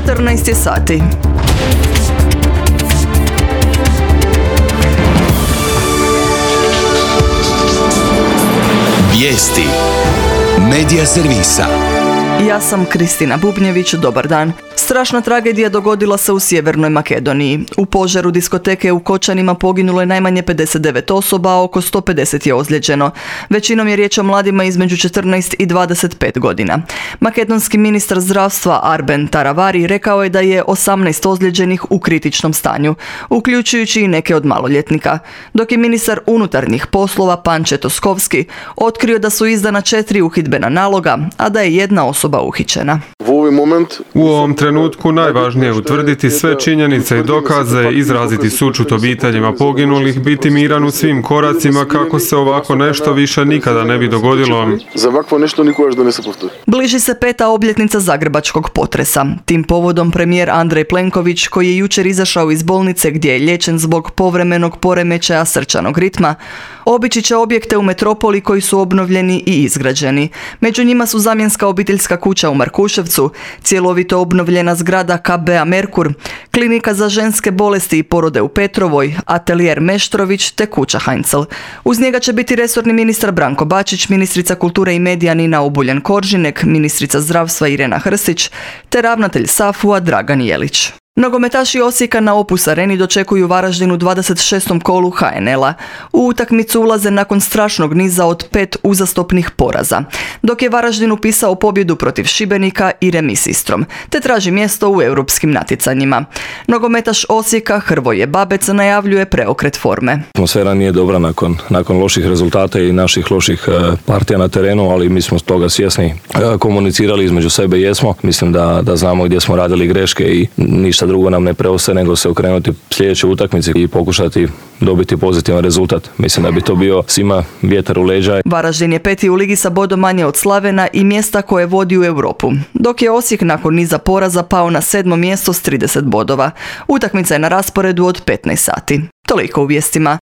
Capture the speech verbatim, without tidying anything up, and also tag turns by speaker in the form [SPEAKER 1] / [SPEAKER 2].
[SPEAKER 1] četrnaest je sati.
[SPEAKER 2] Vijesti Medija servisa.
[SPEAKER 1] Ja sam Kristina Bubnjević, dobar dan. Strašna tragedija dogodila se u Sjevernoj Makedoniji. U požaru diskoteke u Kočanima poginulo je najmanje pedeset devet osoba, a oko sto pedeset je ozlijeđeno. Većinom je riječ o mladima između četrnaest i dvadeset pet godina. Makedonski ministar zdravstva Arben Taravari rekao je da je osamnaest ozlijeđenih u kritičnom stanju, uključujući i neke od maloljetnika. Dok je ministar unutarnjih poslova Panče Toskovski otkrio da su izdana četiri uhidbena naloga, a da je jedna osoba uhićena.
[SPEAKER 3] U ovom trenutku najvažnije je utvrditi sve činjenice i dokaze, izraziti sućut obiteljima poginulih, biti miran u svim koracima kako se ovako nešto više nikada ne bi dogodilo.
[SPEAKER 1] Bliži se peta obljetnica zagrebačkog potresa. Tim povodom premijer Andrej Plenković, koji je jučer izašao iz bolnice gdje je liječen zbog povremenog poremećaja srčanog ritma, obići će objekte u metropoli koji su obnovljeni i izgrađeni. Među njima su zamjenska obiteljska kuća u Markuševcu, cjelovito obnovljena zgrada K B A Merkur, klinika za ženske bolesti i porode u Petrovoj, atelijer Meštrović te kuća Heinzel. Uz njega će biti resorni ministar Branko Bačić, ministrica kulture i medija Nina Obuljen-Koržinek, ministrica zdravstva Irena Hrstić te ravnatelj SAFU-a Dragan Jelić. Nogometaši Osijeka na Opus Areni dočekuju Varaždin u dvadeset šestom kolu H N L-a. U utakmicu ulaze nakon strašnog niza od pet uzastopnih poraza, dok je Varaždin upisao pobjedu protiv Šibenika i remis s Istrom, te traži mjesto u europskim natjecanjima. Nogometaš Osijeka Hrvoje Babec najavljuje preokret forme.
[SPEAKER 4] Atmosfera nije dobra nakon, nakon loših rezultata i naših loših uh, partija na terenu, ali mi smo toga svjesni. Uh, komunicirali između sebe jesmo. Mislim da, da znamo gdje smo radili greške i ništa drugo nam ne preostaje nego se okrenuti sljedećoj utakmici i pokušati dobiti pozitivan rezultat. Mislim da bi to bio svima vjetar u leđa.
[SPEAKER 1] Varaždin je peti u ligi sa bodom manje od Slavena i mjesta koje vodi u Europu, dok je Osijek nakon niza poraza pao na sedmo mjesto s trideset bodova. Utakmica je na rasporedu od petnaest sati. Toliko u vijestima.